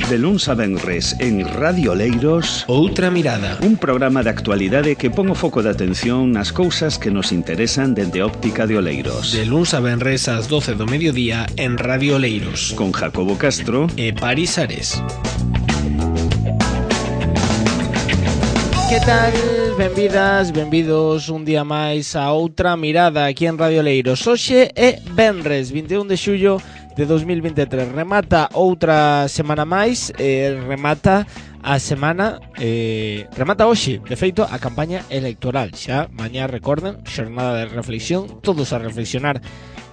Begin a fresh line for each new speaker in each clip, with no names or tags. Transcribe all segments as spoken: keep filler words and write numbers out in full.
De luns a venres en Radio Oleiros,
Outra Mirada,
un programa de actualidade que pon o foco de atención nas cousas que nos interesan dende óptica de Oleiros.
De luns a venres ás doce do mediodía en Radio Oleiros,
con Jacobo Castro
e Paris Ares. Que tal? Benvidas, benvidos un día máis a Outra Mirada aquí en Radio Oleiros. Hoxe é venres, vinte e un de xullo de dos mil vinte e tres. Remata outra semana máis, eh, remata a semana, eh, remata hoxe, de feito, a campaña electoral. Xa, mañá, recorden, xornada de reflexión, todos a reflexionar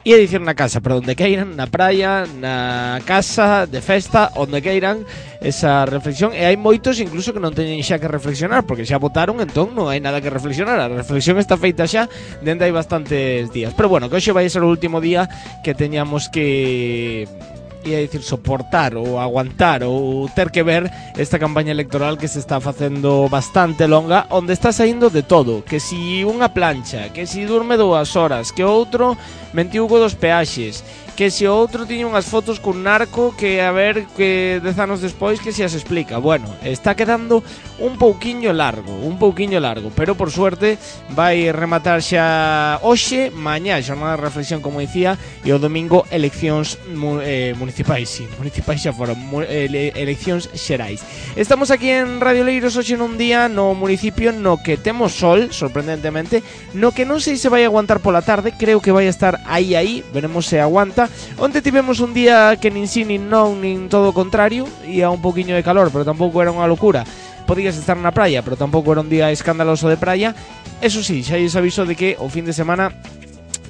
e a dicir na casa, pero onde queiran, na praia, na casa, de festa, onde queiran, esa reflexión. E hai moitos incluso que non teñen xa que reflexionar, porque xa votaron, entón non hai nada que reflexionar. A reflexión está feita xa dende hai bastantes días. Pero bueno, que hoxe vai ser o último día que teñamos que... ia dicir soportar ou aguantar ou ter que ver esta campaña electoral que se está facendo bastante longa, onde está saindo de todo, que si unha plancha, que si durme dúas horas, que outro mentiu co dos peaxes, que se outro tiña unhas fotos cun narco que a ver que dez anos despois que se as explica. Bueno, está quedando un pouquiño largo, un pouquiño largo, pero por suerte vai rematar xa hoxe, mañá xornada de reflexión, como dicía, e o domingo eleccións eh, municipais, sí, municipais xa foron, ele, eleccións xerais. Estamos aquí en Radio Oleiros hoxe nun día no municipio no que temos sol, sorprendentemente, no que non sei se vai aguantar pola tarde, creo que vai estar aí aí, veremos se aguanta. Onde tivemos un día que nin si, nin non, nin todo o contrario, ia un poquinho de calor, pero tampouco era unha locura. Podías estar na praia, pero tampouco era un día escandaloso de praia. Eso sí, xa lles aviso de que o fin de semana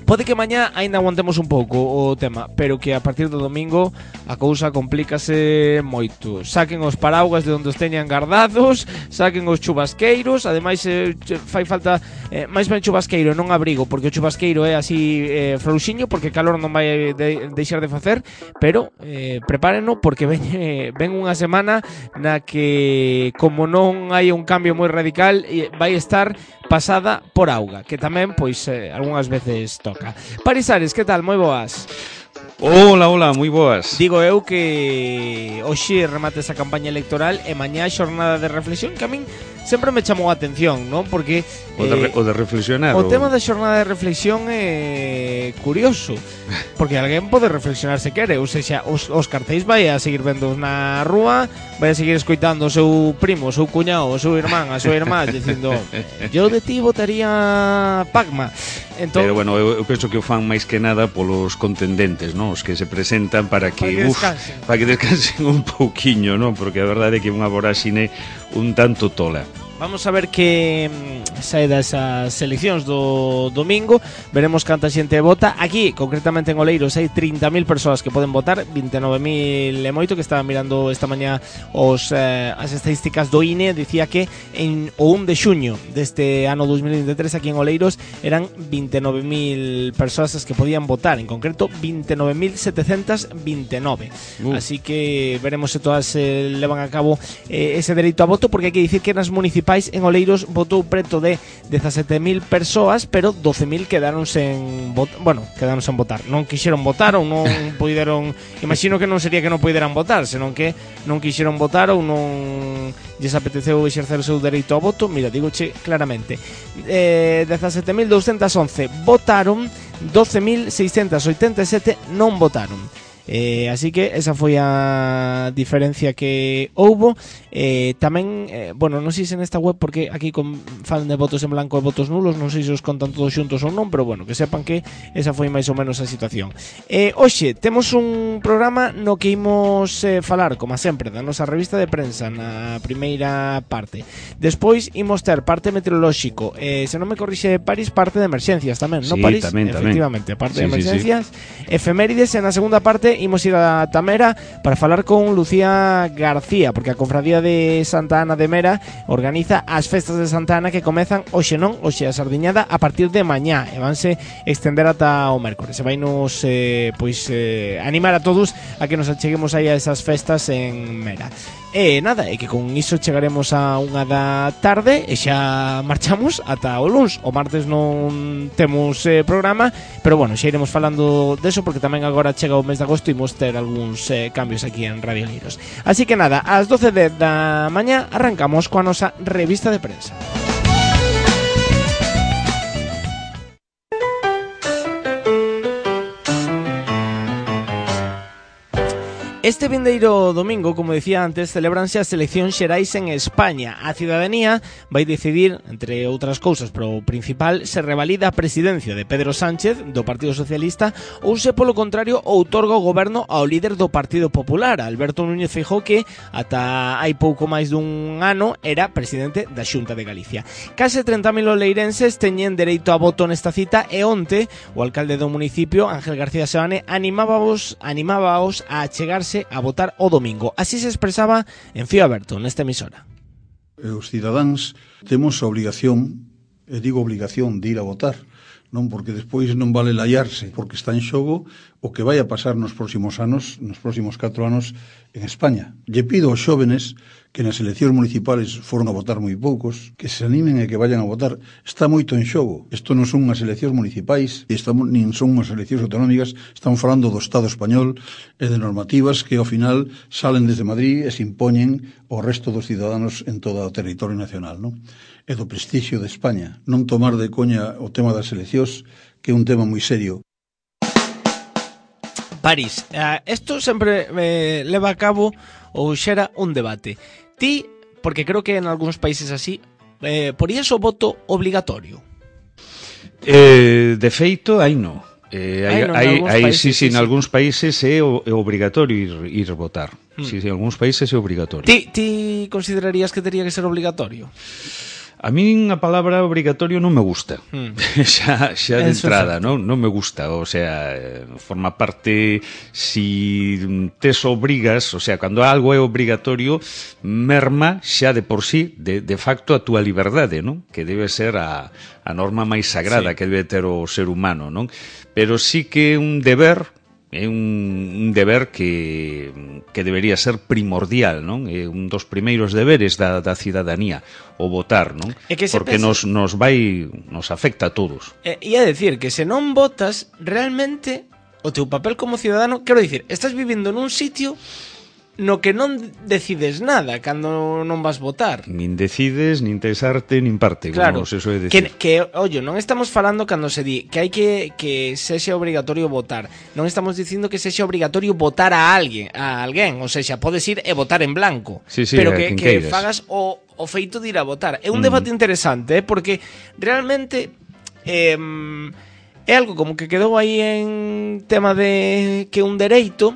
pode que mañá aínda aguantemos un pouco o tema, pero que a partir do domingo a cousa complícase moito. Saquen os paraugas de onde os teñan guardados, saquen os chubasqueiros. Ademais eh, fai falta eh, máis ben chubasqueiro, non abrigo, porque o chubasqueiro é así eh, frouxiño, porque calor non vai de, deixar de facer. Pero eh, prepárenno, porque ven, eh, ven unha semana na que, como non hai un cambio moi radical, eh, vai estar pasada por auga, que tamén, pois, eh, algunhas veces toca. Paris Ares, que tal? Moi boas.
Hola, hola, moi boas.
Digo eu que hoxe remate esa campaña electoral e mañá xornada de reflexión, que a min sempre me chamou a atención, non? Porque
o de, eh, o de reflexionar.
O, o tema da xornada de reflexión é curioso, porque alguén pode reflexionar se quere, ou seja, os, os cartéis vai a seguir vendo na rúa, vai a seguir escoitando o seu primo, o seu cuñado, o seu irmán, a súa irmá dicindo, yo de ti votaría Pacma. Entón,
pero bueno, eu, eu penso que o fan máis que nada polos contendentes, non? Os que se presentan para que,
para que
uf,
descansen.
para que descansen un pouquiño, non? Porque a verdade é que é unha voráxine un tanto tola.
Vamos a ver que sae desas eleccións do domingo. Veremos canta xente vota. Aquí, concretamente en Oleiros, hai trinta mil persoas que poden votar, vinte e nove mil e moito, que estaba mirando esta mañá os, eh, as estadísticas do I N E. Dicía que en o un de xuño deste ano dos mil vinte e tres aquí en Oleiros eran vinte e nove mil persoas as que podían votar, en concreto vinte e nove mil setecentas vinte e nove. Uh. Así que veremos se todas eh, levan a cabo eh, ese dereito a voto, porque hai que dicir que nas municipais en Oleiros votou preto de dezasete mil persoas, pero doce mil quedaron sen votar, bueno, quedaron sen votar. Non quixeron votar ou non puideron, imagino que non sería que non puideran votar, senón que non quixeron votar ou non lles apeteceu exercer o seu dereito ao voto. Mira, digoche claramente, eh, dezasete mil douscentas once votaron, doce mil seiscentas oitenta e sete non votaron. Eh, así que esa foi a diferencia que houbo. eh, Tamén, eh, bueno, non sei se nesta web, porque aquí con, falan de votos en blanco e votos nulos, non sei se os contan todos xuntos ou non, pero bueno, que sepan que esa foi máis ou menos a situación. eh, Hoxe temos un programa no que imos eh, falar, como sempre, da nosa revista de prensa na primeira parte. Despois imos ter parte meteorolóxico, eh, se non me corrixe Paris, parte de emerxencias tamén,
sí,
non Paris?
Tamén,
efectivamente,
tamén.
parte
sí,
de emerxencias,
sí, sí.
Efemérides. En a segunda parte imos ir a Tamera para falar con Lucía García, porque a Cofradía de Santa Ana de Mera organiza as festas de Santa Ana, que comezan hoxe, non, hoxe a sardiñada, a partir de mañá, e vanse extender ata o mércores. E vai nos eh, pois, eh, animar a todos a que nos acheguemos aí a esas festas en Mera. E nada, é que con iso chegaremos a unha da tarde e xa marchamos ata o luns. O martes non temos eh, programa, pero bueno, xa iremos falando deso, porque tamén agora chega o mes de agosto suposto imos ter algúns eh, cambios aquí en Radio Leiros. Así que nada, ás doce da mañá arrancamos coa nosa revista de prensa. Este vindeiro domingo, como decía antes, celebranse as eleccións xerais en España. A cidadanía vai decidir, entre outras cousas, pero o principal, se revalida a presidencia de Pedro Sánchez, do Partido Socialista, ou se, polo contrario, outorga o goberno ao líder do Partido Popular, Alberto Núñez Feijóo, que ata hai pouco máis dun ano era presidente da Xunta de Galicia. Case trinta mil oleirenses teñen dereito a voto nesta cita e onte o alcalde do municipio, Ángel García Seoane, animábaos, animábaos a achegarse a votar o domingo. Así se expresaba en Fío Aberto, nesta emisora.
Os cidadáns temos a obligación, e digo obligación, de ir a votar, non porque despois non vale laiarse, porque está en xogo o que vai a pasar nos próximos anos, nos próximos catro anos en España. Lle pido aos xóvenes que nas eleccións municipales foron a votar moi poucos, que se animen e que vayan a votar. Está moito en xogo. Isto non son unhas eleccións municipais, e estamos, nin son unhas eleccións autonómicas, estamos falando do Estado español e de normativas que ao final salen desde Madrid e se impoñen ao resto dos ciudadanos en todo o territorio nacional, non? E do prestixio de España. Non tomar de coña o tema das eleccións, que é un tema moi serio.
París, isto uh, sempre eh, leva a cabo ou xera un debate. Ti, porque creo que en algúns países así, eh, porías o voto obligatorio?
Eh, de feito, aí non. Eh, hai,
no,
hai, hai,
países,
sí, sí,
sí,
en
sí.
algúns países é, o, é obrigatorio ir, ir votar. Mm. Sí, sí, en algúns países é obrigatorio.
Ti, ti considerarías que tería que ser obligatorio?
A min a palabra obrigatorio non me gusta. Mm. xa xa de
Eso
entrada, non non me gusta, o sea, forma parte si tes obrigas, o sea, cando algo é obrigatorio, merma xa de por sí, de, de facto a túa liberdade, non? Que debe ser a, a norma máis sagrada sí. que debe ter o ser humano, non? Pero sí que é un deber, é un, un deber que, que debería ser primordial, non? É un dos primeiros deberes da, da cidadanía, o votar, non? Porque pensa... nos, nos vai, nos afecta a todos.
E, e a decir que se non votas, realmente o teu papel como ciudadano, quero dicir, estás vivindo nun sitio no que non decides nada cando non vas votar.
Nin decides, nin tes arte, nin parte,
claro,
como se soe
que,
decir.
que, ollo, non estamos falando cando se di que hai que que sexa obrigatorio votar. Non estamos dicindo que sexa obrigatorio votar a alguén, a alguén, ou sexa, podes ir e votar en blanco,
sí, sí,
pero que, que
queiras.
fagas o, o feito de ir a votar. É un mm. debate interesante, eh, porque realmente eh, é algo como que quedou aí en tema de que un dereito,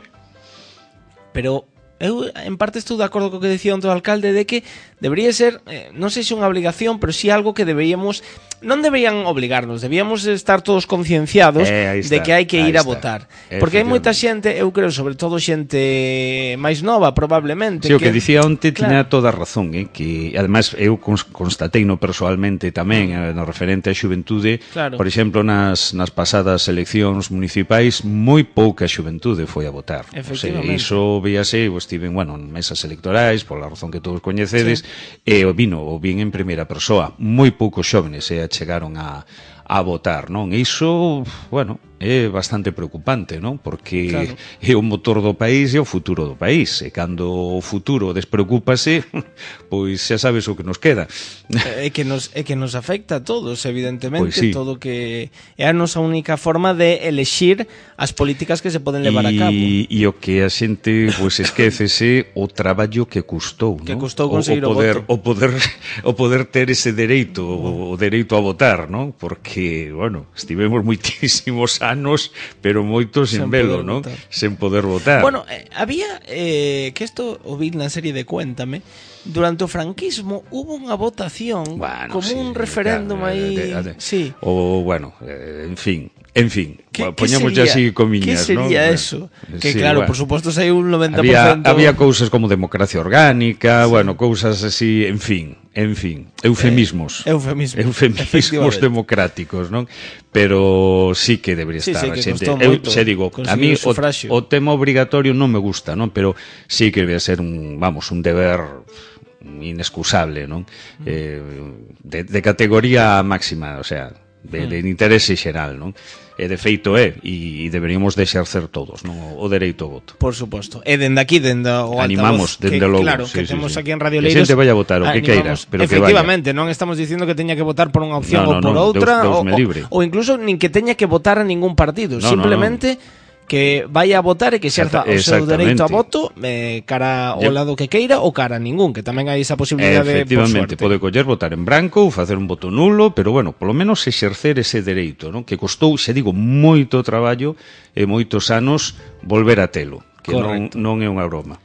pero eu en parte estou de acordo co que decía onte o alcalde de que debería ser, eh, non sei se unha obligación, pero si sí algo que deberíamos, non deberían obligarnos, debíamos estar todos concienciados
eh,
de que hai que ir a votar. Porque hai moita xente, eu creo, sobre todo xente máis nova, probablemente.
Sí, o que, que dicía onte
claro.
tiña toda a razón, eh, que además eu constatei no personalmente tamén, eh, no referente á xuventude, claro. Por exemplo, nas, nas pasadas eleccións municipais, moi pouca xuventude foi a votar.
Efectivamente.
O sea, iso víase, estiven, bueno, en mesas electorais, pola razón que todos coñecedes, sí. E o vino, o vin en primeira persoa. Moi poucos xóvenes eh, chegaron a, a votar, non? E iso, bueno, é bastante preocupante, non? Porque claro. É o motor do país e o futuro do país. E cando o futuro despreocúpase, pois xa sabes o que nos queda.
É que nos, é que nos afecta a todos, evidentemente,
pois sí.
Todo que é a nosa única forma de elexir as políticas que se poden levar
y,
a cabo.
E o que a xente pois esquécese o traballo que custou,
que
non?
custou conseguir o,
o, o poder,
voto.
O poder, o poder ter ese dereito, o, o dereito a votar, non? Porque, bueno, estivemos moitísimos anos, pero moitos sen velo, non? Sen poder votar.
Bueno, eh, había, eh, que isto o vi na serie de Cuéntame, durante o franquismo hubo unha votación, bueno, como sí, un referéndum claro, aí, de, de, de, sí.
O, bueno, eh, en fin, en fin, poñamos ya así comiñas,
¿qué sería
¿no?
eso?
Eh,
que
sí,
claro,
bueno.
Por suposto, hai un noventa por ciento...
Había, había cousas como democracia orgánica, sí. Bueno, cousas así, en fin, en fin, eufemismos.
Eh, eufemismos.
Eufemismos democráticos, non? Pero sí que debería
sí,
estar.
Sí, que
xente.
Eu
se digo, a mí o, o tema obrigatorio non me gusta, non? Pero sí que debería ser un, vamos, un deber inexcusable, non? Eh, de, de categoría máxima, o sea, de, de interese xeral, non? E de feito é, e deberíamos de exercer todos, non? O dereito ao voto.
Por suposto. E dende aquí, dende o altavoz,
animamos, dende
que,
logo,
claro,
sí,
que
sí,
temos
sí.
aquí en Radio
Que
Leiros.
xente vai a votar o que queira, pero que vaya.
Efectivamente, non estamos dicindo que teña que votar por unha opción
No, no,
ou por
no,
outra,
Deus, Deus
ou,
me libre.
ou incluso nin que teña que votar a ningún partido,
No,
simplemente
no, no.
que vaya a votar e que xerza o seu dereito a voto eh, cara ao
Yo...
lado que queira ou cara a ningún, que tamén hai esa posibilidade por
Efectivamente,
suerte.
pode coller votar en branco ou facer un voto nulo, pero bueno, polo menos exercer ese dereito, non? Que costou, xe digo, moito traballo e moitos anos volver a telo, que non, non é unha broma.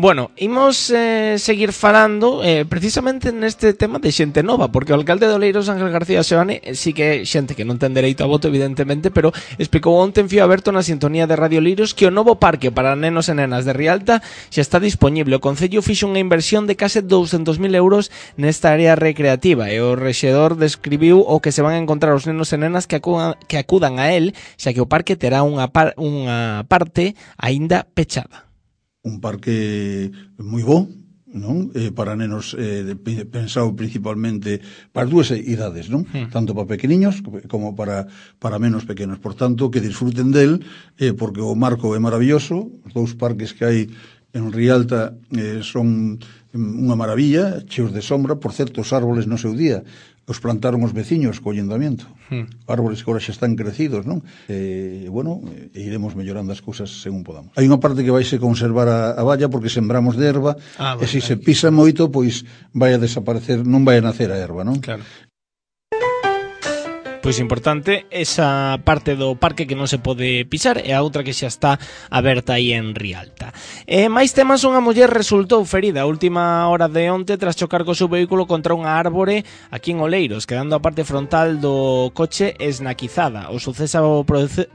Bueno, imos eh, seguir falando eh, precisamente neste tema de xente nova, porque o alcalde de Oleiros, Ángel García Seoane, eh, sí que é xente que non ten dereito a voto, evidentemente, pero explicou onte en Fío Aberto na sintonía de Radio Leiros que o novo parque para nenos e nenas de Rialta xa está disponible. O Concello fixo unha inversión de case douscentos mil euros nesta área recreativa e o rexedor describiu o que se van a encontrar os nenos e nenas que acudan, que acudan a él, xa que o parque terá unha, par, unha parte aínda pechada.
Un parque moi bo, non? Eh, para nenos eh, de, pensado principalmente para as dúas idades, non? Hmm. Tanto para pequeniños como para para menos pequenos. Por tanto, que disfruten del, eh, porque o marco é maravilloso. Os dous parques que hai en Rialta eh, son unha maravilla, cheos de sombra. Por certo, os árboles no seu día os plantaron os veciños co ayuntamiento. Hmm. Árboles que agora xa están crecidos, non? E, bueno, e iremos mellorando as cousas según podamos. Hai unha parte que vaise conservar a, a valla porque sembramos de erva, ah, e se se pisa moito, pois vai a desaparecer, non vai a nacer a erva, non?
Claro. Pois importante esa parte do parque que non se pode pisar e a outra que xa está aberta aí en Rialta. E máis temas, unha muller resultou ferida a última hora de onte tras chocar co seu vehículo contra unha árbore aquí en Oleiros, quedando a parte frontal do coche esnaquizada. O suceso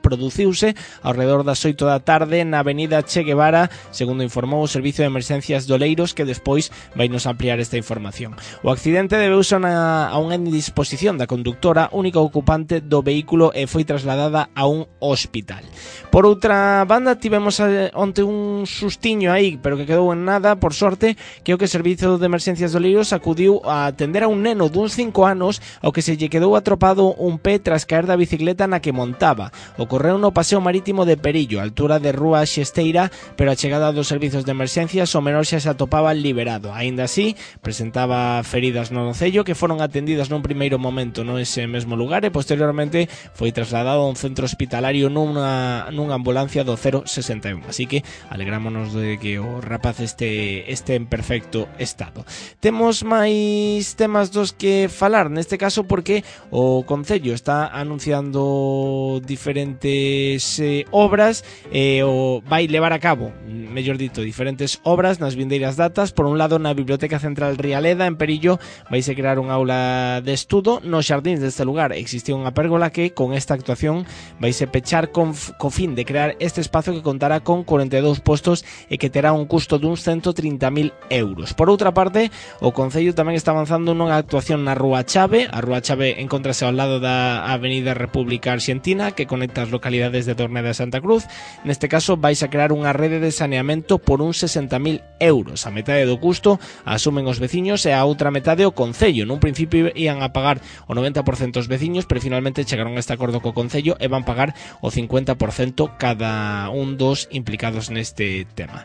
produciuse ao redor das oito da tarde na avenida Che Guevara, segundo informou o Servicio de Emergencias de Oleiros, que despois vai nos ampliar esta información. O accidente debeuse a unha indisposición da conductora, única ocupante do vehículo, e foi trasladada a un hospital. Por outra banda, tivemos onte un sustiño aí, pero que quedou en nada, por sorte, que o que o Servicio de Emergencias de Oleiros acudiu a atender a un neno duns cinco anos ao que se lle quedou atropado un pé tras caer da bicicleta na que montaba. Ocorreu no paseo marítimo de Perillo, a altura de Rúa Xesteira, pero a chegada dos servizos de emergencias o menor xa se atopaba liberado. Aínda así, presentaba feridas no nocello que foron atendidas nun primeiro momento no ese mesmo lugar e posteriormente foi trasladado a un centro hospitalario nunha, nunha ambulancia do cero sesenta e un. Así que alegrámonos de que o rapaz este, este en perfecto estado. Temos máis temas dos que falar, neste caso porque o Concello está anunciando diferentes eh, obras e eh, o vai levar a cabo, mellor dito, diferentes obras nas vindeiras datas. Por un lado, na Biblioteca Central Rialeda, en Perillo, vaise crear un aula de estudo. Nos xardíns deste lugar existe unha pérgola que, con esta actuación, vaise pechar con, co fin de crear este espazo que contará con corenta e dous postos e que terá un custo duns ciento trinta mil euros. Por outra parte, o Concello tamén está avanzando nunha actuación na Rúa Chave. A Rúa Chave encóntrase ao lado da Avenida República Arxentina, que conecta as localidades de Torneda e Santa Cruz. Neste caso, vais a crear unha rede de saneamento por uns sesenta mil euros. A metade do custo a asumen os veciños e a outra metade o Concello. Nun principio ian a pagar o noventa por cento os veciños, pero finalmente chegaron a este acordo co Concello e van pagar o cincuenta por cento cada un dos implicados neste tema.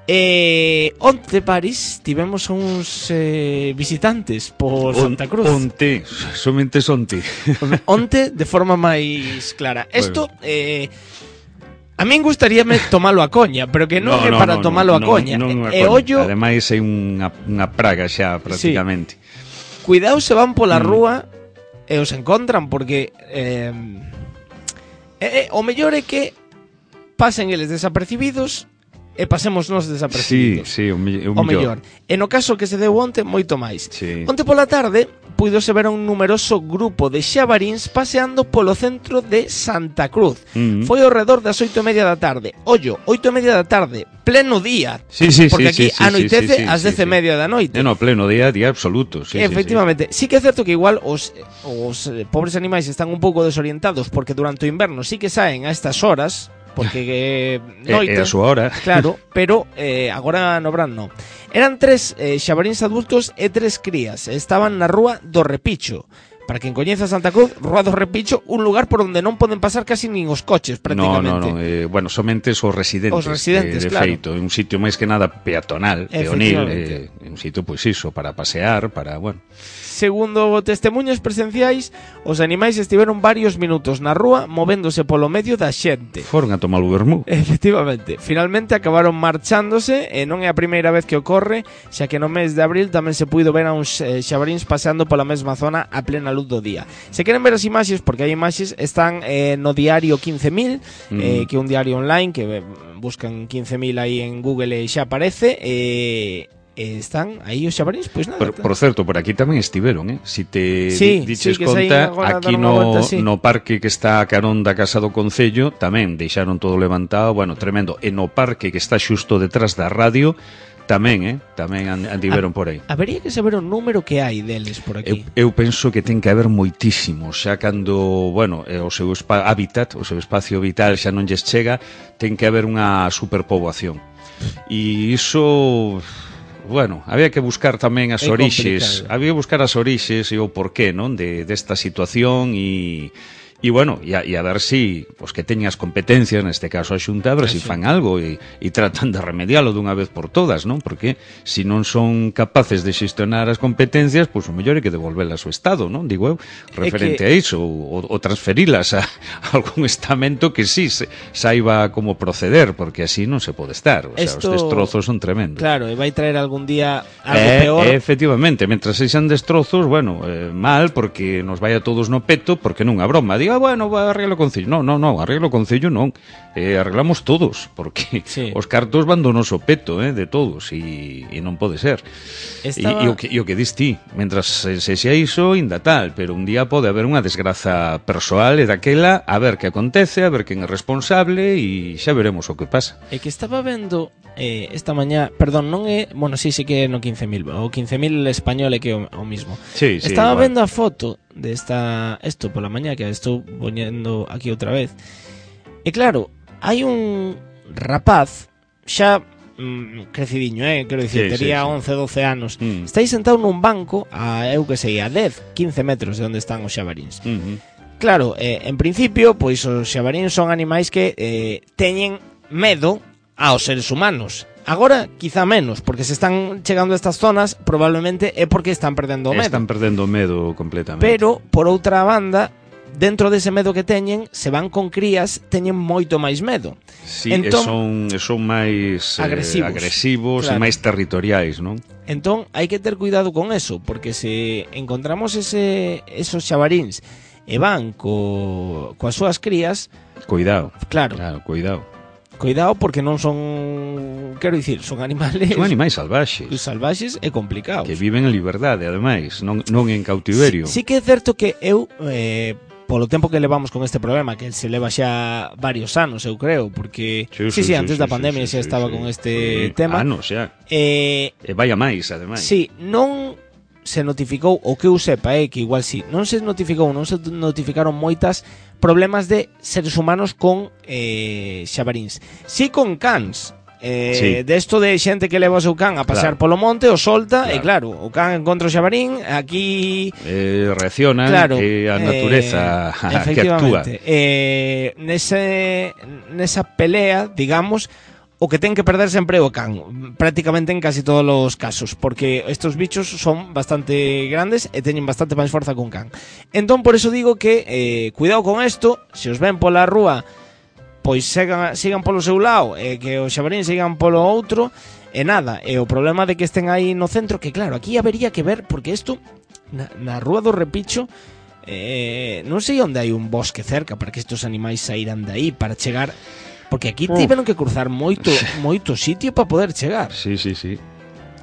E onte, París, tivemos uns eh, visitantes por Santa Cruz.
Onte, somente onte.
Onte, de forma máis clara. Isto, bueno. eh, a min gustaríame tomalo a coña, pero que non no, é
no,
para
no,
tomalo
no,
a coña.
No, no, no,
e ollo...
Ademais é unha, unha praga xa, prácticamente.
Sí. Cuidado se van pola mm. rúa e os encontran, porque eh, eh, o mellor é que pasen eles desapercibidos e pasemos nos desapercibidos.
Sí, sí, o, me, o,
o mellor. E no caso que se deu onte, moito máis.
Sí.
Onte pola tarde puidose ver a un numeroso grupo de xabaríns paseando polo centro de Santa Cruz. Mm-hmm. Foi ao redor das oito e media da tarde. Ollo, oito e media da tarde, pleno día.
Sí, sí,
porque
sí,
aquí
sí,
anoitece
sí, sí,
ás dez e media
sí.
da noite.
No, no, pleno día, día absoluto. Sí,
efectivamente.
Sí, sí.
Sí que é certo que igual os, os pobres animais están un pouco desorientados porque durante o inverno sí que saen a estas horas, porque eh, noite,
é a súa hora.
Claro, pero eh, agora no verán non. Eran tres eh, xabaríns adultos e tres crías. Estaban na rúa do Repicho. para quen coñeza Santa Cruz, Rúa do Repicho, un lugar por onde non poden pasar casi nin os coches, prácticamente.
No, no, no, eh, bueno, somente os residentes,
os residentes
de, de
claro.
feito, é un sitio máis que nada peatonal, peonil, eh, un sitio, pois iso, para pasear, para, bueno...
Segundo testemunhos presenciais, os animais estiveron varios minutos na rúa movéndose polo medio da xente.
Foron a tomar o vermú.
Efectivamente. Finalmente acabaron marchándose e non é a primeira vez que ocorre, xa que no mes de abril tamén se puido ver a uns eh, xabaríns paseando pola mesma zona a plena luz do día. Se queren ver as imaxes, porque hai imaxes, están eh, no diario quince mil, mm. eh, que é un diario online, que eh, buscan quince mil aí en Google e xa aparece, e... Eh, están aí os xabaríns, pois nada.
Por, por certo, por aquí tamén estiveron, eh? Si te
sí,
di, diches
sí,
conta, aquí no,
volta, sí.
no parque que está a carón da Casa do Concello tamén deixaron todo levantado, bueno, tremendo. E no parque que está xusto detrás da radio tamén, eh? Tamén andiveron por aí.
Habería que saber o número que hai deles por aquí.
Eu, eu penso que ten que haber moitísimos, xa cando, bueno, o seu hábitat, o seu espacio vital xa non lles chega, ten que haber unha superpoboación. E iso... Bueno, había que buscar tamén as orixes, había que buscar as orixes e o porqué, non, de desta situación e e bueno, e a, e a ver si pues, que teñas competencias, neste caso a Xunta, a ver si fan algo e, e tratan de remedialo dunha vez por todas, non? Porque se si non son capaces de xestionar as competencias, pois pues, o mellor é que devolvelas ao Estado, non? Digo eu, referente que... a iso, ou, ou transferilas a, a algún estamento que sí se, saiba como proceder, porque así non se pode estar, o sea, Esto... os destrozos son tremendos.
Claro, e vai traer algún día algo
eh,
peor.
Eh, efectivamente, mentras sexan destrozos, bueno, eh, mal, porque nos vai a todos no peto, porque non a broma, diga, bueno, arreglo o Concello. No, no, no, arreglo o Concello non. Eh, arreglamos todos, porque sí. Os cartos van do noso peto, eh, de todos, e, e non pode ser. Estaba... E, e, o que, e o que dis ti, mentras se, se xa iso, ainda tal, pero un día pode haber unha desgraza persoal e daquela, a ver que acontece, a ver quen é responsable, e xa veremos o que pasa.
É que estaba vendo eh, esta mañá, perdón, non é, bueno, sí, sí que é no quince mil, o quince mil español é que é o, o mismo.
Sí, sí,
estaba
igual.
Vendo a foto de esta, esto pola mañá, que estou poñendo aquí outra vez. E claro, hai un rapaz xa mm, crecidiño, eh, quero dicir, sí, tería sí, sí. once, doce anos. Mm. Está aí sentado nun banco a, eu que sei, a dez, quince metros de onde están os xabaríns. Mm-hmm. Claro, eh, en principio, pois os xabaríns son animais que eh, teñen medo aos seres humanos. Agora, quizá menos, porque se están chegando a estas zonas, probablemente é porque están perdendo o medo.
Están perdendo o medo completamente.
Pero, por outra banda, dentro dese medo que teñen, se van con crías, teñen moito máis medo.
Sí, entón, e son, son máis agresivos, eh, agresivos claro. E máis territoriais, non?
Entón, hai que ter cuidado con eso, porque se encontramos ese, esos xabaríns e van co, coas súas crías...
Cuidado.
Claro.
Claro, cuidado.
Cuidado porque non son, quero dicir, son animales...
Son animais salvaxes.
Salvaxes e complicados.
Que viven en liberdade, ademais, non, non en cautiverio.
Sí, sí que é certo que eu, eh, polo tempo que levamos con este programa, que se leva xa varios anos, eu creo, porque... Sí, sí, sí, sí antes sí, da pandemia sí, xa sí, estaba sí, con este sí. tema.
Anos xa.
Eh,
e vai a máis, ademais.
Sí, non... se notificou, o que eu sepa, eh, que igual sí, non se notificou, non se notificaron moitas problemas de seres humanos con eh, xabaríns. Si con cans, eh, sí. de esto de xente que leva o seu can a pasear claro. Polo monte, o solta, claro. E claro, o can encontra o xabarín, aquí...
Eh, reaccionan, claro, e a natureza eh, que actúa.
Eh, nese, nesa pelea, digamos... O que ten que perder sempre o can, prácticamente en casi todos os casos, porque estos bichos son bastante grandes e teñen bastante máis forza que un can. Entón, por eso digo que eh, cuidado con isto, se os ven pola rúa, pois sigan, sigan polo seu lado, e eh, que os xabarín sigan polo outro, e nada, e o problema de que estén aí no centro, que claro, aquí habería que ver, porque isto, na, na rúa do Repicho, eh, non sei onde hai un bosque cerca para que estos animais saíran de aí, para chegar... Porque aquí tiveron que cruzar moito moito sitio para poder chegar.
Sí, sí, sí.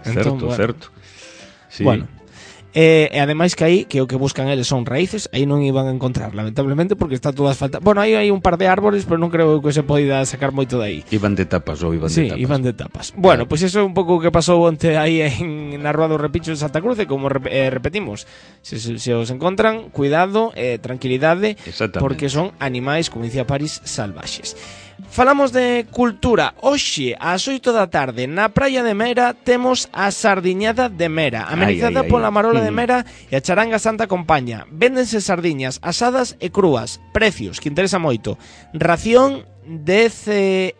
Certo, entón, bueno. certo. Sí.
Bueno. Eh, e ademais que aí, que o que buscan eles son raíces, aí non iban a encontrar, lamentablemente, porque está todo asfaltado. Bueno, aí hai un par de árboles, pero non creo que se poida sacar moito de aí.
Iban de tapas ou iban
sí,
de tapas.
Sí, iban de tapas. Bueno, pois pues eso é un pouco o que pasou onte aí en na Rúa do Repicho de Santa Cruz, e como eh, repetimos, se, se, se os encontran, cuidado, eh, tranquilidade, porque son animais, como dicía París, salvaxes. Falamos de cultura. Hoxe, ás oito da tarde, na praia de Mera, temos a Sardiñada de Mera, amenizada
Ai, ai, ai,
pola Marola de
mm.
Mera e a Charanga Santa Compaña. Véndense sardiñas asadas e crúas. Precios, que interesa moito. Ración dez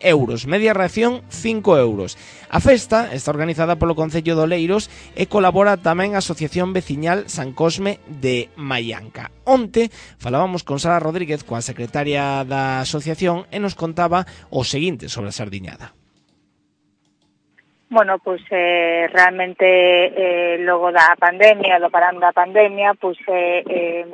euros, media ración cinco euros. A festa está organizada polo Concello de Oleiros e colabora tamén a Asociación Veciñal San Cosme de Maianca. Onte falábamos con Sara Rodríguez, coa secretaria da asociación, e nos contaba o seguinte sobre a sardiñada.
Bueno, pues eh, realmente eh, logo da pandemia, do parán da pandemia, pues eh, eh,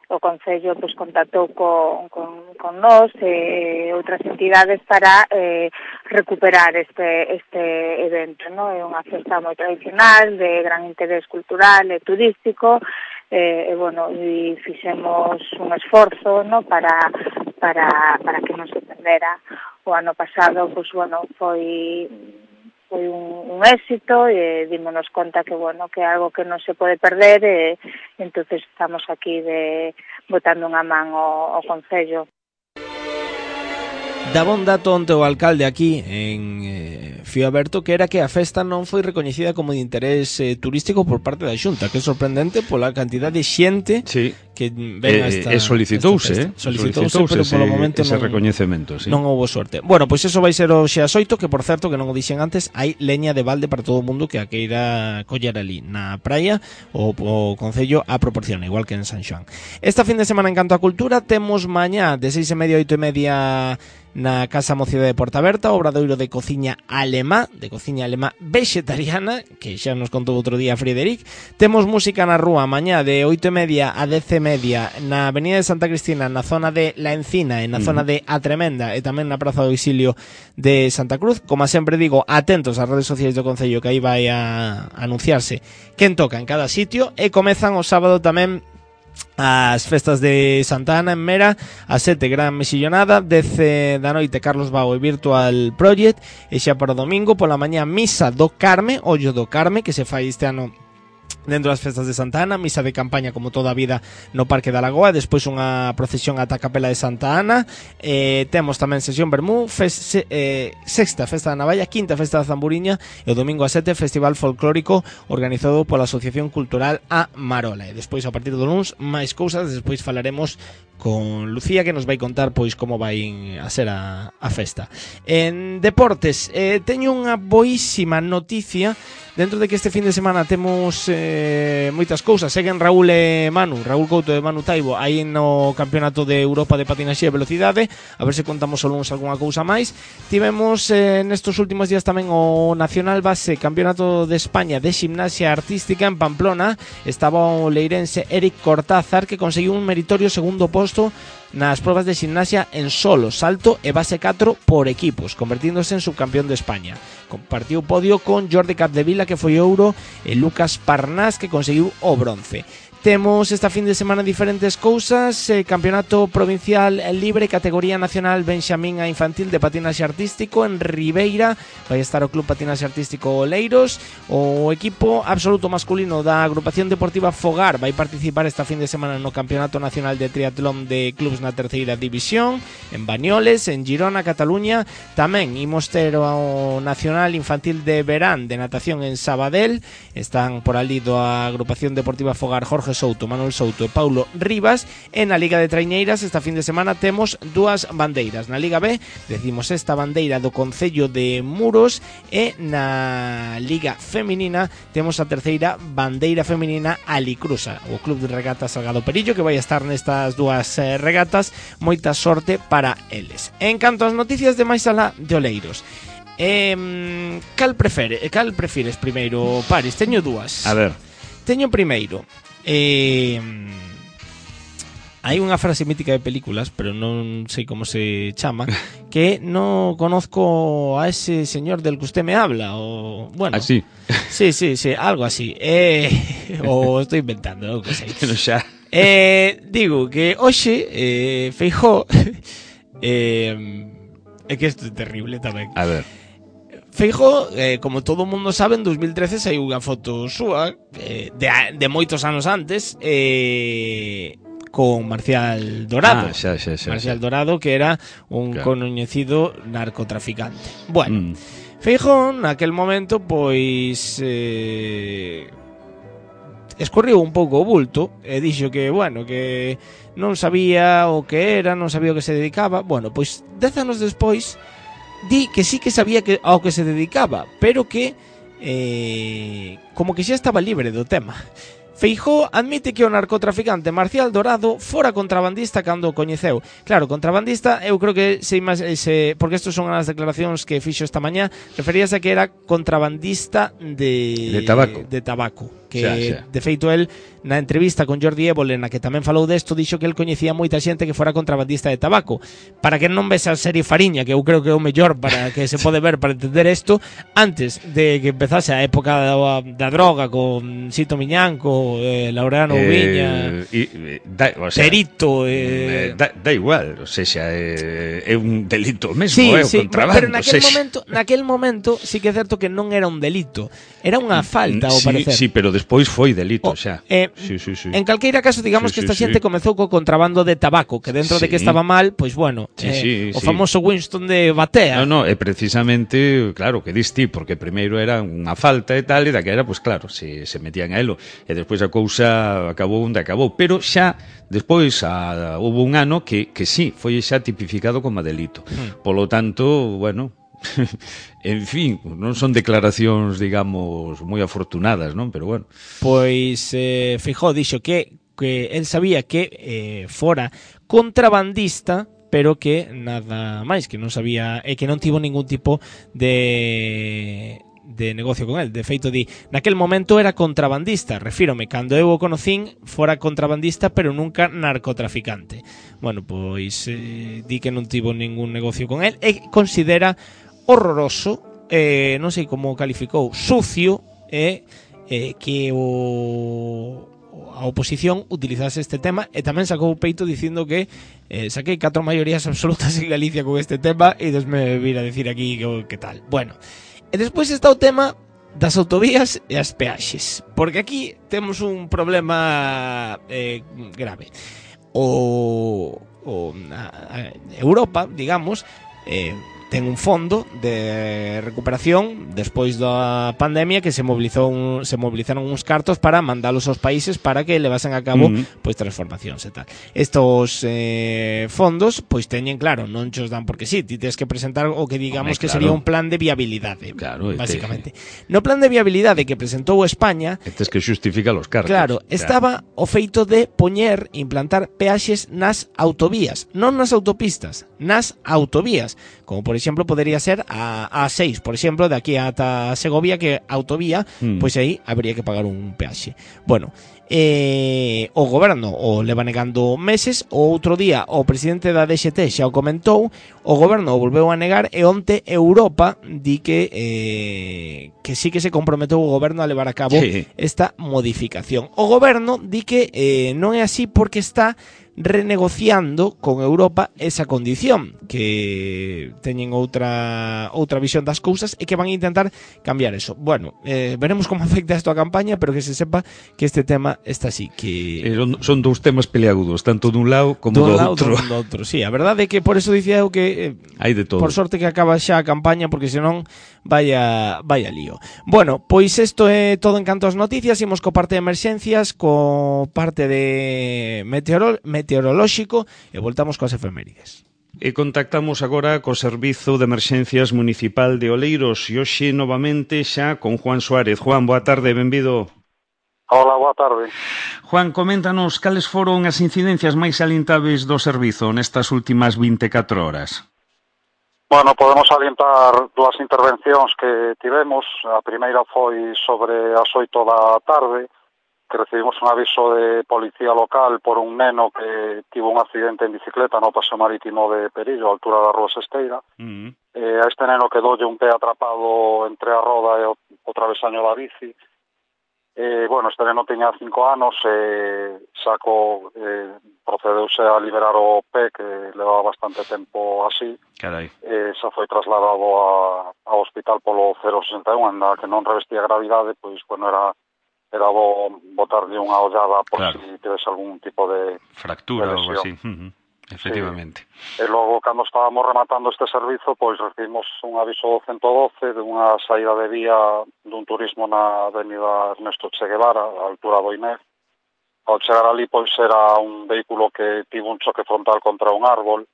o Concello pues, contactou con, con, con nós e eh, outras entidades para eh, recuperar este, este evento, ¿no? É unha festa moi tradicional, de gran interés cultural e turístico, eh, e, bueno, e fixemos un esforzo, ¿no? para, para, para que non se perdera. O ano pasado, pues, bueno, foi... foi un, un éxito e dímonos conta que, bueno, que é algo que non se pode perder e entonces estamos aquí de botando unha man ao, ao Concello.
Daba un dato onte o alcalde aquí en eh, Fío Aberto, que era que a festa non foi recoñecida como de interés eh, turístico por parte da Xunta, que é sorprendente pola cantidad de xente
sí.
que ven a esta,
e solicitouse,
esta
eh?
solicitouse,
solicitouse
pero polo
ese,
momento
ese
non,
recoñecemento, sí.
non houbo sorte. Bueno, pois iso vai ser hoxe ás oito, que por certo, que non o dixen antes, hai leña de balde para todo o mundo que a queira coller ali na praia, o, o Concello a proporciona, igual que en San Xoán. Esta fin de semana en canto a cultura temos mañá de seis e media a oito e media na Casa Mocidade de Porta Berta, obradoiro de cociña alemá, de cociña alemá vegetariana, que xa nos contou outro día Frederic. Temos música na rúa mañá de oito e media a dez e media na Avenida de Santa Cristina, na zona de La Encina e na mm. zona de A Tremenda, e tamén na Praza do Exilio de Santa Cruz. Como sempre digo, atentos ás redes sociais do Concello, que aí vai a anunciarse quen toca en cada sitio, e comezan o sábado tamén as festas de Santa Ana en Mera, a sete gran mesillonada, dez da noite Carlos Bao e Virtual Project, e xa para o domingo pola mañá misa do Carme, ollo do Carme, que se fai este ano dentro das festas de Santa Ana, misa de campaña como toda a vida no Parque da Lagoa, despois unha procesión ata a Capela de Santa Ana, eh, temos tamén sesión Bermú, fes, se, eh, sexta festa da Navalla, quinta festa da Zamburiña e o domingo a sete festival folclórico organizado pola Asociación Cultural A Marola. E despois a partir do luns máis cousas, despois falaremos con Lucía, que nos vai contar pois como vai a ser a, a festa. En deportes, eh, teño unha boísima noticia. Dentro de que este fin de semana temos eh, moitas cousas, seguen Raúl e Manu, Raúl Couto e Manu Taibo aí no Campeonato de Europa de Patinaxe e Velocidade, a ver se contamos o lunes algunha cousa máis. Tivemos eh, nestos últimos días tamén o Nacional Base Campeonato de España de Gimnasia Artística en Pamplona. Estaba o leirense Eric Cortázar, que conseguiu un meritorio segundo posto nas probas de gimnasia en solo, salto e base catro por equipos, convertíndose en subcampeón de España. Compartiu podio con Jordi Capdevila, que foi ouro, e Lucas Parnás, que conseguiu o bronce. Temos esta fin de semana diferentes cousas, eh, Campeonato Provincial Libre, categoría nacional Benxamín a Infantil de Patinaxe Artístico en Ribeira, vai estar o Club Patinaxe Artístico Oleiros. O equipo absoluto masculino da Agrupación Deportiva Fogar vai participar esta fin de semana no Campeonato Nacional de Triatlón de Clubs na terceira división en Banyoles, en Girona, Cataluña. Tamén imos ter o Nacional Infantil de Verán de Natación en Sabadell, están por ali da Agrupación Deportiva Fogar Jorge Souto, Manuel Souto e Paulo Rivas. E na Liga de Traiñeiras esta fin de semana temos dúas bandeiras. Na Liga B decimos esta bandeira do Concello de Muros, e na Liga Feminina temos a terceira bandeira feminina Alicruza, o Club de Regatas Salgado Perillo, que vai estar nestas dúas eh, regatas. Moita sorte para eles. En canto ás noticias de máis alá de Oleiros, eh, cal prefere, cal prefires primeiro, Paris? Teño dúas.
A ver.
Teño primeiro Eh, hai unha frase mítica de películas, pero non sei como se chama, que non conozco a ese señor del que usted me habla, o bueno,
así.
Sí, sí, sí, algo así. Eh, o estou inventando, non sei.
Que non xa.
Eh, digo que hoxe eh, Feijóo eh, é que isto é terrible tamén.
A ver.
Feijóo, eh, como todo o mundo sabe, en dos mil trece saiu unha foto súa eh, de, de moitos anos antes, eh, con Marcial Dorado.
Ah, xa, xa, xa,
Marcial
xa.
Dorado, que era un
Claro.
coñecido narcotraficante. Bueno,
Mm.
Feijóo naquel momento pois eh, escorriu un pouco o bulto e dixo que, bueno, que non sabía o que era, non sabía o que se dedicaba. Bueno, pois dez anos despois di que sí que sabía que ao que se dedicaba, pero que eh, como que xa estaba libre do tema. Feijóo admite que o narcotraficante Marcial Dorado fora contrabandista cando o coñeceu. Claro, contrabandista, eu creo que se, se porque estos son as declaracións que fixo esta mañá, referíase a que era contrabandista de
De tabaco.
de tabaco, que
Xa, xa.
de feito el na entrevista con Jordi Évole, na que tamén falou desto, dixo que el coñecía moita xente que fora contrabandista de tabaco. Para que non ves a serie Fariña, que eu creo que é o mellor para que se pode ver para entender isto, antes de que empezase a época da, da droga con Sito Miñanco, eh, Laureano Viña,
Eh, y, da, o sea,
Perito,
eh,
eh,
da, da igual, o sea, xa é, é un delito mesmo,
sí,
é o
sí,
contrabando.
pero naquel
o sea,
momento, naquel momento sí que é certo que non era un delito, era unha falta, ao
sí,
parecer.
sí, pero despois foi delito,
O,
xa.
eh,
sí, sí, sí.
En calqueira caso, digamos
Sí,
que
sí,
esta
sí.
xente comezou co contrabando de tabaco, que dentro de que
Sí.
estaba mal, pois bueno,
Sí,
eh,
sí,
o
sí.
famoso Winston de Batea.
No, no, é precisamente, claro, que diste, porque primeiro era unha falta e tal, e daquela, pois claro, se, se metían a elo, e despois a cousa acabou onde acabou, pero xa, despois, a, houve un ano que, que sí, foi xa tipificado como delito.
Hmm.
Polo tanto, bueno, en fin, non son declaracións, digamos, moi afortunadas, non? Pero bueno.
Pois eh, Feijóo dixo que, que el sabía que eh, fora contrabandista, pero que nada máis, que non sabía, e que non tivo ningún tipo de de negocio con el. De feito, di, naquel momento era contrabandista, refírome, cando eu o conocín fora contrabandista, pero nunca narcotraficante. Bueno, pois eh, di que non tivo ningún negocio con el e considera horroroso, eh, non sei como calificou, sucio, e eh, que o a oposición utilizase este tema, e tamén sacou o peito dicindo que eh, saquei catro maiorías absolutas en Galicia con este tema e desme vir a decir aquí que, que tal. Bueno, e despois está o tema das autovías e as peaxes, porque aquí temos un problema eh, grave. O, o a, a Europa, digamos, eh, ten un fondo de recuperación despois da pandemia que se mobilizou un, se movilizaron uns cartos para mandalos aos países para que levasen a cabo
Uh-huh.
pois transformacións e tal. Estos eh, fondos pois teñen claro, non chos dan porque sí, ti tens que presentar o que digamos
Home,
que
claro.
sería un plan de viabilidade,
Claro,
basicamente. No plan de viabilidade que presentou España,
Este es que xustifica los cartos.
claro, estaba o feito de poñer, implantar peaxes nas autovías, non nas autopistas, nas autovías, como por exemplo podería ser a A seis, por exemplo, de aquí ata Segovia, que autovía,
Mm.
pois aí habría que pagar un peaxe. Bueno, eh, o goberno o leva negando meses, o outro día o presidente da D X T xa o comentou, o goberno o volveu a negar e onte Europa di que eh, que sí que se comprometeu o goberno a levar a cabo
Sí.
esta modificación. O goberno di que eh, non é así porque está renegociando con Europa esa condición, que teñen outra outra visión das cousas e que van a intentar cambiar eso. Bueno, eh, veremos como afecta isto a campaña, pero que se sepa que este tema está así, que
Eh, son- son dous temas peleagudos, tanto dun lado como
dun
do
lado
outro.
dun do outro. Sí, a verdade é que por eso dicía eu que eh,
Hai de todo.
por sorte que acaba xa a campaña, porque senón vaya vaya lío. Bueno, pois isto é todo en canto ás noticias. Imos co parte de emerxencias, co parte de meteoro, meteorolóxico e voltamos coas efemérides.
E contactamos agora co Servizo de Emerxencias Municipal de Oleiros e hoxe novamente xa con Juan Suárez. Juan, boa tarde, benvido.
Hola, boa tarde.
Juan, coméntanos cales foron as incidencias máis salientáveis do servizo nestas últimas vinte e catro horas.
Bueno, podemos salientar dúas intervencións que tivemos. A primeira foi sobre as oito da tarde, que recibimos un aviso de policía local por un neno que tivo un accidente en bicicleta no paseo marítimo de Perillo, a altura da Rúa Sesteira.
Mm.
Eh, a este neno quedoulle un pé atrapado entre a roda e o, o travesaño da bici. Eh, bueno, este neno tiña cinco anos e saco eh, procedeuse a liberar o pé, que levaba bastante tempo así.
Carai.
Eh, xa foi trasladado a, ao hospital polo cero sesenta e un, anda que non revestía gravidade, pois, bueno, era era bo botarlle unha ollada por
claro.
si tivese algún tipo de
fractura
de
ou algo así. Uh-huh. Efectivamente.
Sí. E logo, cando estábamos rematando este servizo, pois recibimos un aviso do ciento doce de unha saída de vía dun turismo na avenida Ernesto Che Guevara, a altura do Inés. Ao chegar ali, pois era un vehículo que tivo un choque frontal contra un árbol.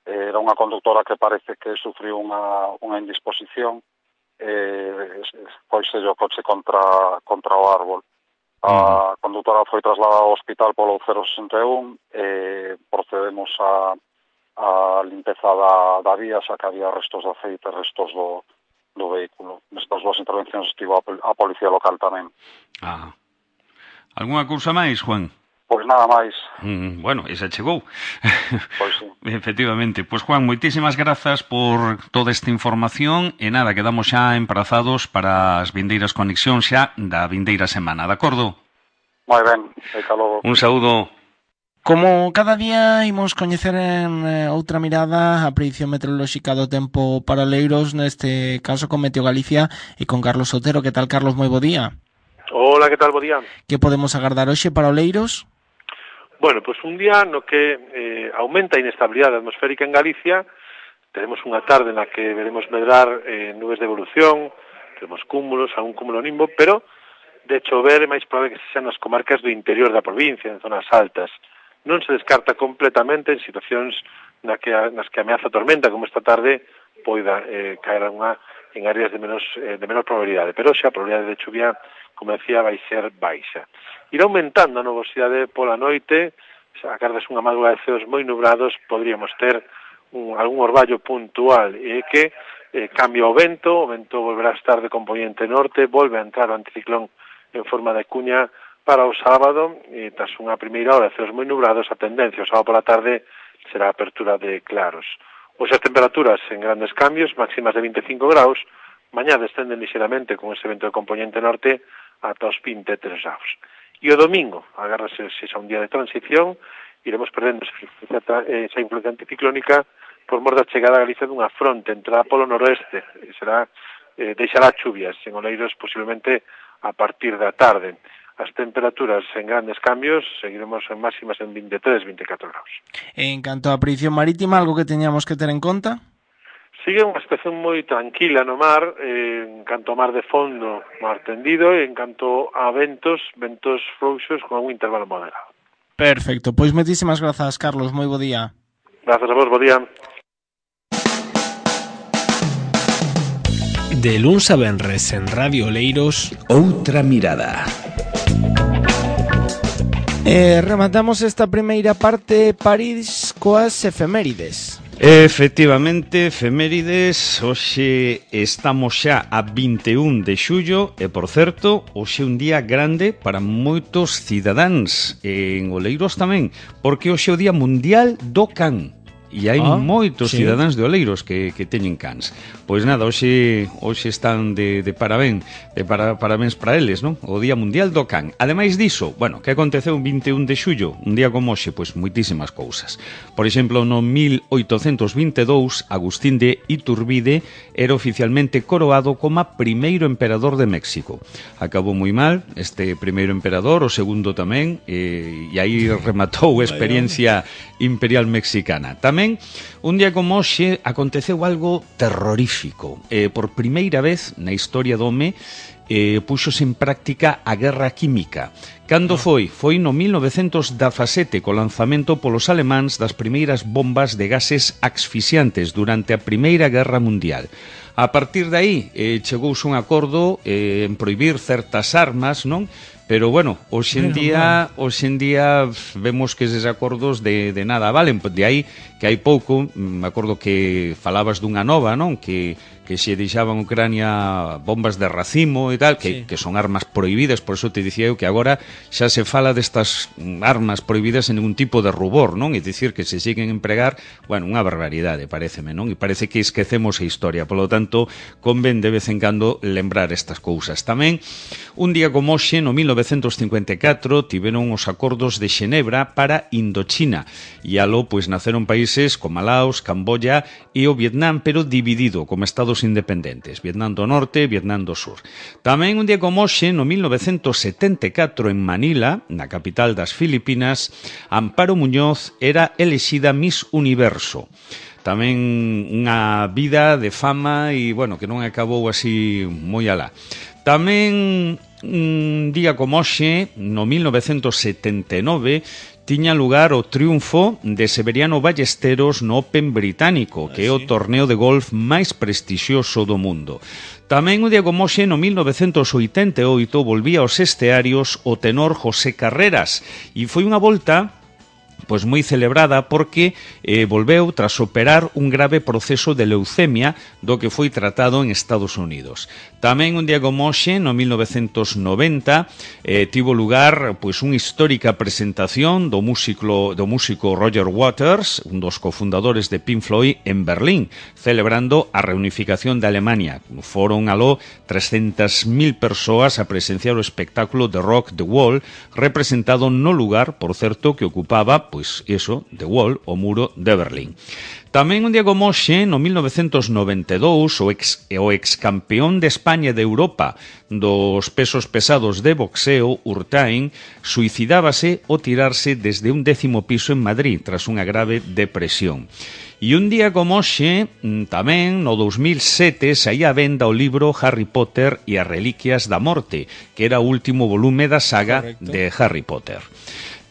Era unha conductora que parece que sufriu unha, unha indisposición. Eh, pois o coche contra, contra o árbol. A conductora foi trasladada ao hospital polo cero sesenta e un e procedemos a, a limpeza da, da vía, xa que había restos de aceite, restos do, do vehículo. Nestas dúas intervencións estivo a, a policía local tamén.
Ah. Alguna cousa máis, Juan?
Pois nada máis.
Mm, bueno, esa chegou.
Pois sí.
Efectivamente. Pois, Juan, moitísimas grazas por toda esta información e nada, quedamos xa emprazados para as vindeiras conexións xa da vindeira semana, de acordo?
Moi ben, e logo.
Un saúdo.
Como cada día imos coñecer en eh, outra mirada a predición meteorolóxica do tempo para Oleiros, neste caso con Meteo Galicia e con Carlos Otero. Que tal, Carlos? Moi bo día.
Hola, que tal, bo día.
Que podemos agardar hoxe para Oleiros?
Bueno, pois pues un día no que eh, aumenta a inestabilidade atmosférica en Galicia. Tenemos unha tarde na que veremos medrar eh, nubes de evolución, tenemos cúmulos, algún cúmulo nimbo, pero de chover é máis probable que sean nas comarcas do interior da provincia, en zonas altas. Non se descarta completamente en situacións na que, nas que ameaza tormenta, como esta tarde, poida eh, caer unha en áreas de menos eh, de menor probabilidade, pero xa a probabilidade de chuvia, como decía, vai ser baixa. Irá aumentando a nubosidade pola noite, xa agardas unha madrugada de ceos moi nubrados, podríamos ter un, algún orballo puntual, e que eh, cambia o vento, o vento volverá a estar de componente norte, volve a entrar o anticiclón en forma de cuña para o sábado, e tras unha primeira hora de ceos moi nubrados, a tendencia o sábado pola tarde será a apertura de claros. Hoxe as temperaturas en grandes cambios, máximas de vinte e cinco graus, mañá descenden lixeramente con ese vento de componente norte ata os vinte e tres graus. E o domingo, agárrase xa un día de transición, iremos perdendo esa influencia anticiclónica por mor da chegada a Galicia dunha fronte entrada polo noroeste, e será, eh, deixará chuvias en Oleiros posiblemente a partir da tarde. As temperaturas en grandes cambios, seguiremos en máximas en vinte e tres, vinte e catro graus.
En canto á predicción marítima, algo que teñamos que ter en conta?
Sigue unha situación moi tranquila no mar, eh, en canto ao mar de fondo, mar tendido, e en canto a ventos, ventos frouxos con algún intervalo moderado.
Perfecto, pois moitísimas grazas, Carlos, moi bo día.
Grazas a vos, bo día.
De luns a venres en Radio Oleiros,
Outra Mirada.
Eh, rematamos esta primeira parte, París, coas efemérides.
Efectivamente, efemérides, hoxe estamos xa a vinte e un de xullo e, por certo, hoxe é un día grande para moitos cidadáns en Oleiros tamén, porque hoxe é o Día Mundial do Can. E hai ah, moitos sí. cidadáns de Oleiros que, que teñen cans. Pois nada, hoxe, hoxe están de, de parabén, de para, parabéns para eles, non? O Día Mundial do Can. Ademais diso, bueno, que aconteceu un vinte e un de xullo, un día como hoxe, pois moitísimas cousas. Por exemplo, no mil oitocentos vinte e dous, Agustín de Iturbide era oficialmente coroado como primeiro emperador de México. Acabou moi mal este primeiro emperador, o segundo tamén, e, e aí rematou a experiencia imperial mexicana. Tamén un día como hoxe aconteceu algo terrorífico. Eh, por primeira vez na historia do home eh, puxose en práctica a guerra química. Cando foi? Foi no mil novecentos dezasete co lanzamento polos alemáns das primeiras bombas de gases asfixiantes durante a Primeira Guerra Mundial. A partir de aí eh, chegouse un acordo eh, en prohibir certas armas, non? Pero, bueno, hoxe en día, hoxe en día vemos que eses acordos de, de nada valen. De aí que hai pouco, me acordo que falabas dunha nova, non? Que, que se deixaban Ucrania bombas de racimo e tal, que, sí. que son armas prohibidas, por eso te dicía eu que agora xa se fala destas armas prohibidas en ningún tipo de rubor, non? É dicir, que se siguen empregar, bueno, unha barbaridade, pareceme, non? E parece que esquecemos a historia, polo tanto, convén de vez en cando lembrar estas cousas. Tamén, un día como hoxe, no mil novecentos novecientos cincuenta e catro tiveron os acordos de Xenebra para Indochina e aló pois naceron países como Laos, Camboya e o Vietnam, pero dividido como estados independentes, Vietnam do Norte e Vietnam do Sur. Tamén un día como hoxe, no mil novecientos setenta e catro en Manila, na capital das Filipinas, Amparo Muñoz era elexida Miss Universo. Tamén unha vida de fama e, bueno, que non acabou así moi alá. Tamén un día como hoxe, no mil novecientos setenta e nove, tiña lugar o triunfo de Severiano Ballesteros no Open británico, que é o torneo de golf máis prestixioso do mundo. Tamén un día como hoxe, no mil novecientos oitenta e oito, volvía aos estearios o tenor José Carreras, e foi unha volta pois moi celebrada porque eh, volveu tras operar un grave proceso de leucemia do que foi tratado en Estados Unidos. Tamén un día como hoxe, no mil novecientos noventa, eh, tivo lugar pois unha histórica presentación do músico, do músico Roger Waters, un dos cofundadores de Pink Floyd, en Berlín, celebrando a reunificación de Alemania. Foron aló trescentas mil persoas a presenciar o espectáculo de rock The Wall, representado no lugar, por certo, que ocupaba pois eso, The Wall, o muro de Berlín. Tamén un día como hoxe, no mil novecientos noventa e dous, o ex, o ex campeón de España e de Europa dos pesos pesados de boxeo, Urtain, suicidábase ao tirarse desde un décimo piso en Madrid tras unha grave depresión. E un día como hoxe, tamén, no dous mil sete, saía a venda o libro Harry Potter e as Reliquias da Morte, que era o último volume da saga Correcto. De Harry Potter.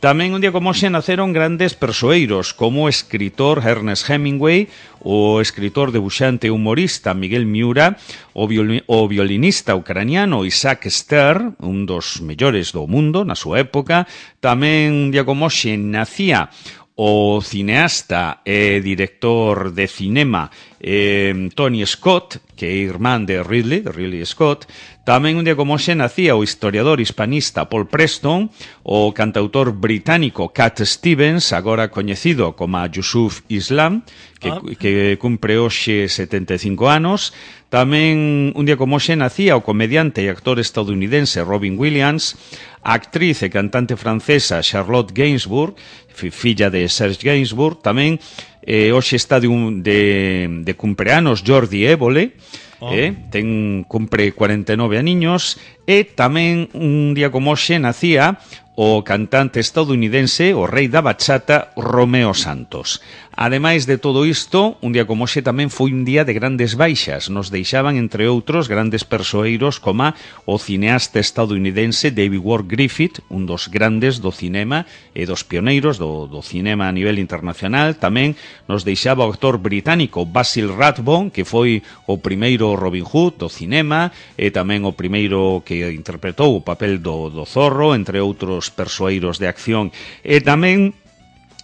Tamén un día como hoxe naceron grandes persoeiros como o escritor Ernest Hemingway, o escritor, debuxante e humorista Miguel Miura, o, violi o violinista ucraniano Isaac Stern, un dos mellores do mundo na súa época. Tamén un día como hoxe nacía o cineasta e director de cinema eh, Tony Scott, que é irmán de Ridley, de Ridley Scott. Tamén un día como hoxe nacía o historiador hispanista Paul Preston, o cantautor británico Cat Stevens, agora coñecido como Yusuf Islam, que, ah. que cumpre hoxe setenta e cinco anos. Tamén un día como hoxe nacía o comediante e actor estadounidense Robin Williams, a actriz e cantante francesa Charlotte Gainsbourg, filla de Serge Gainsbourg. Tamén eh, hoxe está de, un, de, de cumpleanos Jordi Évole, oh. eh, ten cumpre cuarenta e nove aniños. E tamén un día como hoxe nacía o cantante estadounidense, o rei da bachata, Romeo Santos. Ademais de todo isto, un día como hoxe tamén foi un día de grandes baixas. Nos deixaban, entre outros, grandes persoeiros como o cineasta estadounidense David Ward Griffith, un dos grandes do cinema e dos pioneiros do, do cinema a nivel internacional. Tamén nos deixaba o actor británico Basil Rathbone, que foi o primeiro Robin Hood do cinema e tamén o primeiro que interpretou o papel do, do Zorro, entre outros persoeiros de acción. E tamén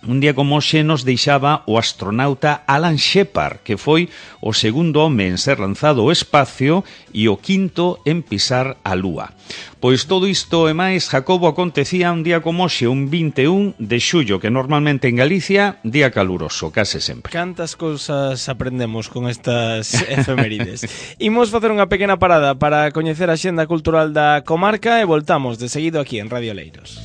un día como hoxe nos deixaba o astronauta Alan Shepard, que foi o segundo home en ser lanzado ao espacio e o quinto en pisar a Lúa. Pois todo isto e máis, Jacobo, acontecía un día como hoxe, un vinte e un de xullo, que normalmente en Galicia, día caluroso, case sempre.
Cantas cousas aprendemos con estas efemérides. Imos facer unha pequena parada para coñecer a xenda cultural da comarca e voltamos de seguido aquí en Radio Leiros.